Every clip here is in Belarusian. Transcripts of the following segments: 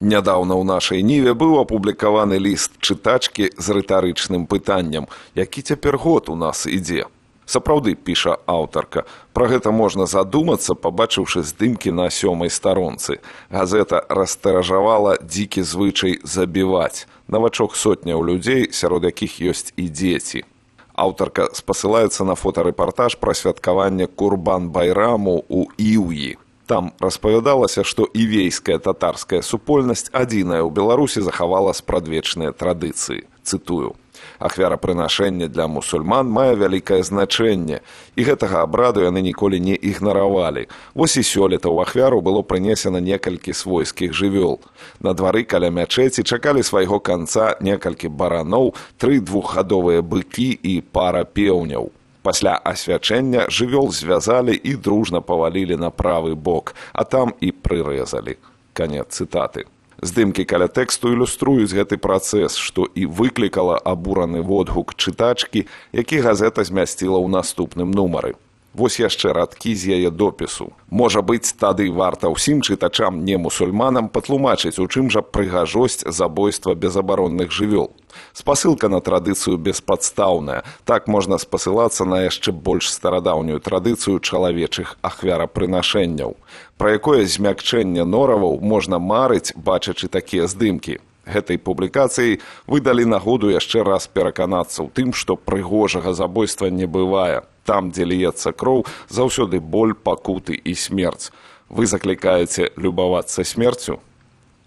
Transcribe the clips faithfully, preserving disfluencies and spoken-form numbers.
Нядаўна ў нашай ніве быў апублікаваны ліст чытачкі з рытарычным пытаннем, які цяпер год у нас ідзе. Сапраўды, піша аўтарка, пра гэта можна задумацца, пабачыўшы здымкі на сёмай старонцы. Газета растыражавала дзікі звычай забіваць. Навачок сотняў людзей, сярод якіх ёсць і дзеці. Аўтарка спасылаецца на фотарэпартаж пра святкаванне Курбан-байраму ў Іўі. Там распавядалася, што івейская татарская супольнасць адзіная ў Беларусі захавала спрадвечныя традыцыі. Цытую. Ахвярапрынашэнне для мусульман мае вялікае значэнне, і гэтага абраду яны ніколі не ігнаравалі. Вось і сёлета ў ахвяру было прынесена некалькі свойскіх жывёл. На двары каля мячэці чакалі свайго канца некалькі бараноў, тры двухгадовыя быкі і пара пеўняў. Пасля асвячэння жывёл звязалі і дружна павалілі на правы бок, а там і прырэзалі. Канец цытаты. Здымкі каля тэксту ілюструюць гэты працэс, што і выклікала абураны водгук чытачкі, які газета змясціла ў наступным нумары. Вось яшчэ радкі з яе допісу. Можа быць, тады варта ўсім чытачам не-мусульманам патлумачыць, у чым жа прыгажосць забойства безабаронных жывёл. Спасылка на традыцыю беспадстаўная. Так можна спасылацца на яшчэ больш старадаўнюю традыцыю чалавечых ахвярапрынашэнняў. Пра якое змякчэнне нораваў можна марыць, бачачы такія здымкі. Гэтай публікацыяй выдалі нагоду яшчэ раз пераканацца ў тым, што прыгожага забойства не бывае. Там, дзе ліецца кроў, заўсёды боль, пакуты і смерць. Вы заклікаеце любавацца смерцю?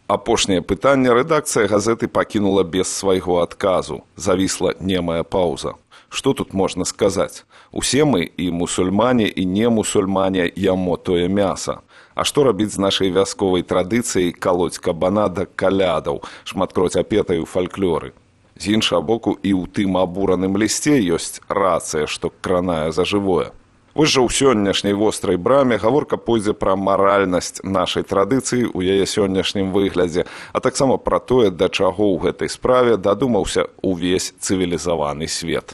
Апошняе пытанне рэдакцыя газеты пакінула без свайго адказу. Завісла немая паўза. Што тут можна сказаць? Усе мы, і мусульмане, і не-мусульмане, ямо тое мяса. А што рабіць з нашай вясковай традыцыяй калоць кабана да калядаў, шматкроць апетай у фальклоры? З іншага боку, і ў тым абураным лісце ёсць рацыя, што кранае за жывое. Вось жа ў сённяшняй вострай браме гаворка пойдзе пра маральнасць нашай традыцыі ў яе сённяшнім выглядзе, а таксама пра тое, да чаго ў гэтай справе дадумаўся увесь цывілізаваны свет.